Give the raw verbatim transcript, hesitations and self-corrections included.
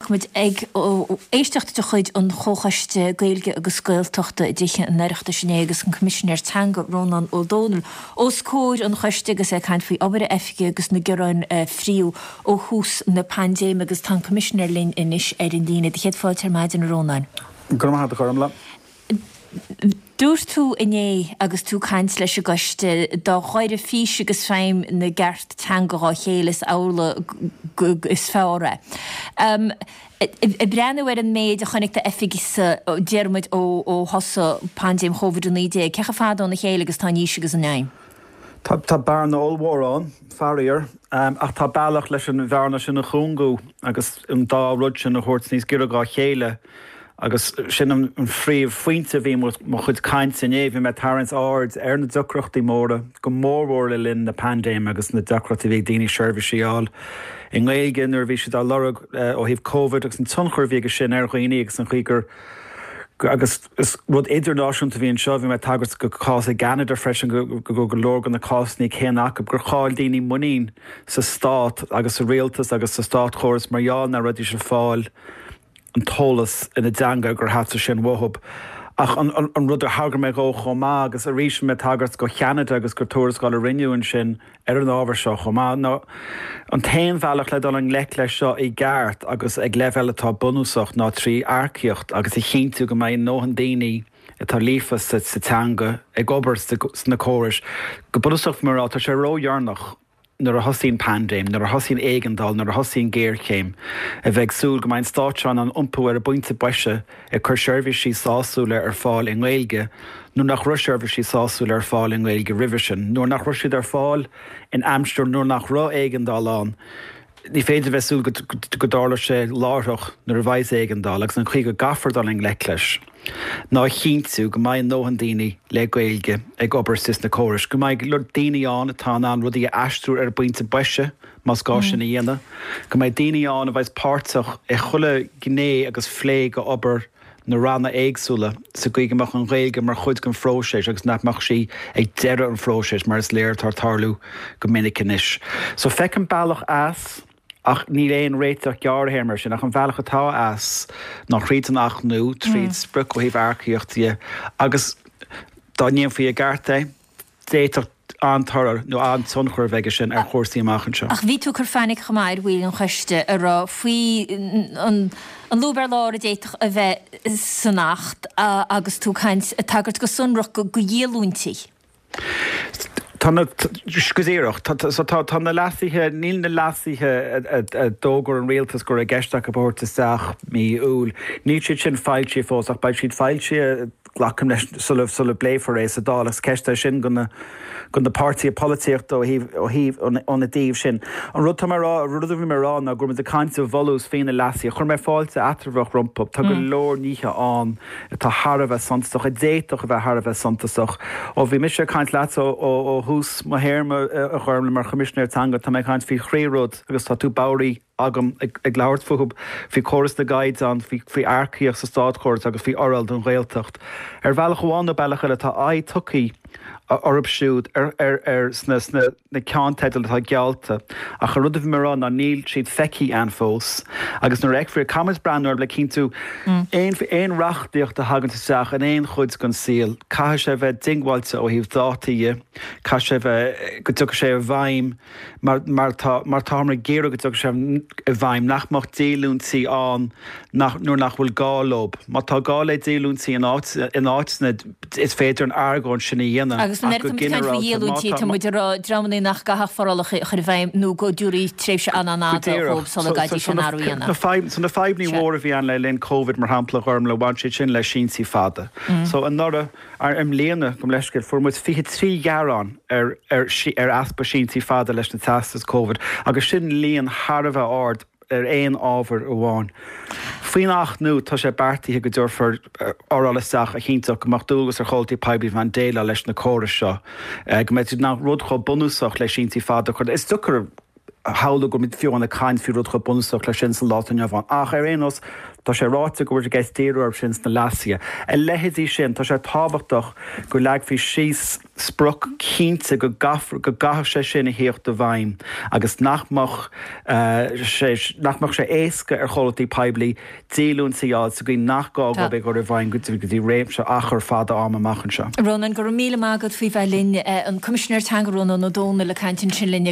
Chonaic muid ag éisteacht de chuid an Chomhchoiste Gaeilge agus Gaeltachta i dTithe an Oireachtais inné agus an Coimisinéir Teanga Rónán Ó Domhnaill os comhair an choiste agus é ag caint faoi obair a oifige agus na gearáin a fríodh ó thús na paindéime agus tá an Coimisinéir linn anois ar an líne. Do chéad fáilte ar maidin, a Rónáin. Go raibh maith agat, a Ghormfhlaith. Dúirt tú inné agus tú ag caint leis an gcoiste dá ghaire fís agus feidhm na gceart teanga dhá chéile is amhlaidh is fearr é. Ag breathnú ar an méid a chonaic d'oifigse, déarfaidh muid, ó thosaigh paindéim Covid a naoi déag, cé chomh fada óna chéile agus tá an fhís agus an fheidhm? Tá bearna ollmhór ann, faraor, ach tá bealach leis an bhearna sin a chúngú agus an dá rud sin a thabhairt níos giorra dhá chéile. Agus sin an phríomhphointe a bhí i mo chuid cainte inné, bhí mé ag tarraingt aird ar na deacrachtaí móra, go mórmhór le linn na paindéime agus na deacrachtaí a bhí ag daoine seirbhísí a fháil i nGaeilge nuair a bhí siad á lorg ó thaobh Covid agus an tionchar a bhí aige sin ar dhaoine agus an chaoi gur agus is rud idirnáisiúnta a bhí anseo, bhí mé ag tagairt go cás i gCeanada freisin go raibh go leor de na cásanna céanna acu, gur chaill daoine muinín sa stát agus sa rialtas agus sa státchóras mar gheall nach raibh ag fáil an t-eolas ina dteanga gur theastaigh sin uathu. Ach an rud ar thagair mé dhó chomh maith, agus arís bhí mé ag tagairt go Cheanada agus gur tuarascáil a rinneadh ansin ar an ábhar seo chomh maith, ná an t-aon bhealach le dul i ngleic leis seo i gceart agus ag leibhéal atá bunúsach ná trí earcaíocht agus a chinntiú go mbeidh a ndóthain daoine atá líofa sa teanga ag obair sna córais. Go bunúsach, mar tá sé ródheireanach nuair a thosaíonn paindéim, nuair a thosaíonn éigeandáil, nuair a thosaíonn géarchéim, a bheith ag súil go mbeidh an stát seo in ann iompú ar an bpointe boise ag cur seirbhísí sásúla ar fáil i nGaeilge nuair nach raibh seirbhísí sásúla ar fáil i nGaeilge roimhe sin, nuair nach raibh siad ar fáil in aimsir nuair nach raibh éigeandáil ann. Ní féidir a bheith ag súil go dtarlóidh sé láithreach nuair a bheidh éigeandáil agus an chaoi go gcaithfear dul i ngleic leis. ná a chinntiú go mbeidh a ndóthain daoine le Gaeilge ag obair sna córais, go mbeidh daoine ann atá in ann rudaí a aistriú ar an bpointe boise más gá sin a dhéanamh, go mbeidh daoine ann a bheas páirteach i chuile ghné agus phlé go obair na ranna éagsúla sa gcaoi go mbeadh an Ghaeilge mar chuid den phróiseas agus nach mbeadh sí ag deireadh an phróisis mar is léir atá ag tarlú go minic anois. So feicim bealach as. Ach níl aon réiteach gearrthéarma air sin, ach an bealach atá as ná thríd an Acht nua, tríd sprioc ó thaobh earcaíochta dhe, agus dá ndéanfaí i gceart é, d'fhéadfadh an-toradh nó an-tionchar a bheith aige sin ar chúrsaí amach anseo. Ach bhí tú ag cur fainic chomh maith ar bhaill an choiste a raibh faoi an lúb ar lár a d'fhéadfadh a bheith san Acht agus tú ag caint, ag tagairt go sonrach go dhíolúintí. Tá na, go díreach, so tá, tá na leasuithe, níl na leasuithe a d'fhógair an rialtas go raibh i gceist acu a thabhairt isteach mí Iúil, níl siad sin foilsithe fós ach beidh siad foilsithe, glacaim leis, sula, sula bpléifear é sa Dáil agus ceist é sin go na, go na páirtithe polaitíochta ó thaobh, ó thaobh, óna dtaobh sin. An rud tá mé a rá, an rud a bhí mé a rá ná go raibh muid ag caint i bhfolús faoi na leasuithe. Chuir mé fáilte eatramhach rompu. Tá go leor nithe ann. atá thar a bheith suntasach, a d'fhéadfadh a bheith thar a bheith suntasach. Ó bhí mise ag caint leatsa ó thús mo théarma, a Ghormfhlaith, mar Choimisinéir Teanga, tá mé ag caint faoi thrí rud agus tá tú bodhraithe agam ag labhairt fúthu, faoi chóras na gcaighdeán, faoi earcaíocht sa státchóras agus faoi fhoráil don Ghaeltacht. Ar bhealach amháin nó bealach eile tá aghaidh tugtha orthu siúd ar sna na ceannteidil atá geallta, ach an rud a bhí mé a rá ná níl siad feicthe againn fós agus nuair a fheicfear iad, caithfimid breathnú orthu le cinntiú aon aon reachtaíocht a thagann isteach in aon chuid den saol, caithfidh sé a bheith diongbháilte ó thaobh dátaí dhe, caithfidh sé a bheith, go dtiocfaidh sé i bhfeidhm mar mar tá mar táthar ag iarraidh go dtiocfaidh sé i bhfeidhm, nach mbeadh díolúintí ann nach nuair nach bhfuil gá leo. Má tá gá le díolúintí in áit in áiteanna is féidir an argóint sin a dhéanamh Agus nuair ach go atá muid ag caint faoi ginearálta má dhíolúintí, tá tá muid ag rá dreamanna nach gcaithfeadh forálacha a chur i bhfeidhm nó go dtabharfaí tréimhse an-an-fhada Go díreach. dhóibh sula So, so, gcaithfidís so an na, athrú a na dhéanamh. fadhb, so na fadhbanna Sea. mhóra a bhí ann le linn Covid, mar shampla, a Ghormfhlaith, bhain siad sin le síntí fada. So anuraidh, ar, i mbliana, gabh mo leithscéal, fuair muid fiche trí ghearán ar, ar, ar easpa síntí fada leis na teastais Covid agus sin líon thar a bheith ard ar aon ábhar amháin. Faoin Acht nua, tá sé beartaithe go dtabharfar fhoráil isteach a chinnteodh go mbeadh dualgas ar chomhlachtaí poiblí a bheith in ann déileáil leis na córais seo, go mbeidh siad in ann rud chomh bunúsach le síntí fada a chur. Is deacair shamhlú go mbeidh fiú ag caint faoi rud chomh bunúsach leis sin sa lá atá inniu ann. Ach ar aon nós, tá sé ráite go bhfuil i gceist díriú air sin sna leasuithe. A leithéidí sin, tá sé tábhachtach go leagfaí síos sprioc cinnte go gcaithfear, go gcaithfidh sé sin a thíocht i bhfeidhm agus nach mbeadh sé, nach mbeadh sé éasca ar chomhlachtaí poiblí díolúintí a fháil sa gcaoi nach gá dóibh é a chur i bhfeidhm go dtí réimse achar fada ama amach anseo. Rónán, go raibh míle maith agat faoi bheith linn. An Coimisinéir Teanga Rónán Ó Domhnaill ag caint ansin linn.